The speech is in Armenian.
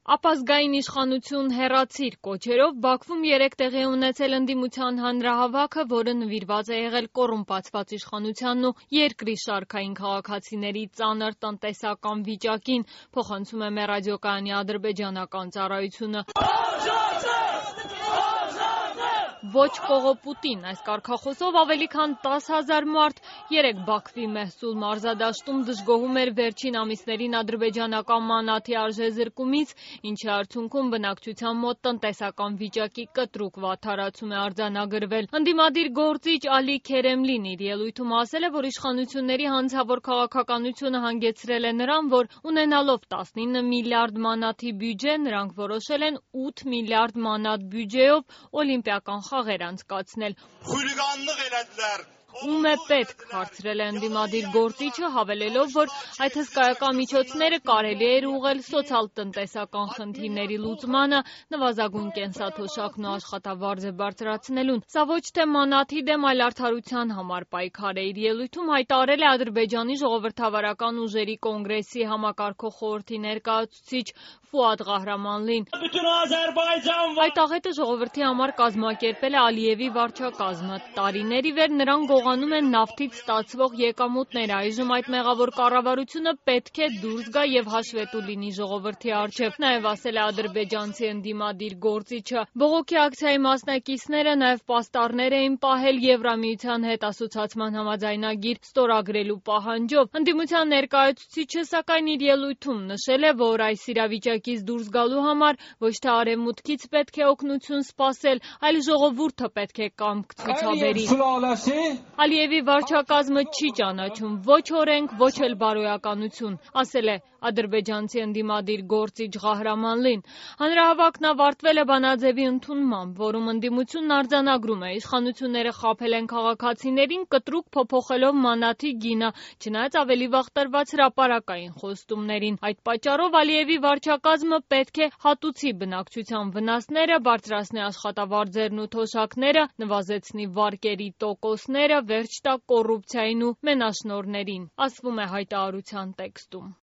Ապազգային իշխանություն հեռացիր կոչերով Բաքվում 3 տեղի ունեցել ընդդիմության հանրահավաքը, որը նվիրված է եղել կոռումպացված իշխանությանն ու երկրի շարքային քաղաքացիների ծանր տնտեսական վիճակին, փոխանցում է մեր ռադիոկայանի ադրբեջանական ծառայությունը։ Ոչ կողոպուտին այս կարգախոսով ավելի քան 10,000 մարդ 3 Բաքվի Մեհսուլ մարզադաշտում դժգոհում էր վերջին ամիսներին ադրբեջանական մանաթի արժեզրկումից, ինչի արդյունքում բնակչության մոտ տնտեսական վիճակի կտրուկ վատթարացում է արձանագրվել։ Ընդդիմադիր գործիչ Ալի Քերեմլին իր ելույթում ասել է, որ իշխանությունների հանցավոր քաղաքականությունը հանգեցրել է նրան, որ ունենալով 19 միլիարդ մանաթի բյուջե, նրանք որոշել են 8 միլիարդ մանաթ բյուջեով օլիմպիական խաղեր անցկացնել։ Խուլիգանլıq elədilər. Ում է պետք, հարցրել է ընդդիմադիր գործիչը, հավելելով, որ այդ հսկայական միջոցները կարելի էր ուղղել սոցիալ-տնտեսական խնդիրների լուծմանը, նվազագույն կենսաթոշակն ու աշխատավարձը բարձրացնելուն։ Սա ոչ թե մանաթի դեմ, այլ արդարության համար պայքար է, իր ելույթում հայտարարել է Ադրբեջանի ժողովրդավարական ուժերի կոնգրեսի համակարգող խորհրդի ներկայացուցիչ Ֆուադ Ղահրամանլին։ Այդ աղետը ժողովրդի համար կազմակերպել է Ալիևի վարչակազմը։ Տարիներ ի վեր նրանք գողանում են նավթից ստացվող եկամուտները, այժմ այդ մեղավոր կառավարությունը պետք է դուրս գա եւ հաշվետու լինի ժողովրդի առջեւ, նաեւ ասել է ադրբեջանցի ընդդիմադիր գործիչը։ Բողոքի ակցիայի մասնակիցները նաեւ պաստառներ էին պահել Եվրամիության հետ ասոցիացման համաձայնագիր ստորագրելու պահանջով։ Ընդդիմության ներկայացուցիչը սակայն իր ելույթում նշել է, որ այս իրավիճակից դուրս գալու համար ոչ թե արևմուտքից պետք է օգնություն սպասել, այլ ժողովուրդը պետք է կամք ցուցաբերի։ Ալիևի վարչակազմը չի ճանաչում ոչ օրենք, ոչ էլ բարոյականություն, ասել է ադրբեջանցի ընդդիմադիր գործիչ Ղահրամանլին։ Հանրահավաքն ավարտվել է բանաձևի ընդունմամբ, որում ընդդիմությունն արձանագրում է իշխանությունները խաբել են քաղաքացիներին կտրուկ փոփոխելով մանաթի գինը, չնայած ավելի վաղ տրված հրապարակային խոստումներին։ Այդ պատճառով Ալիևի վարչակազմը պետք է հատուցի բնակչության վնասները, բարձրացնի աշխատավարձերն ու թոշակները, նվազեցնի վարկերի տոկոսները, վերջ տա կոռուպցիային ու մենաշնորհներին, ասվում է հայտարարության տեքստում։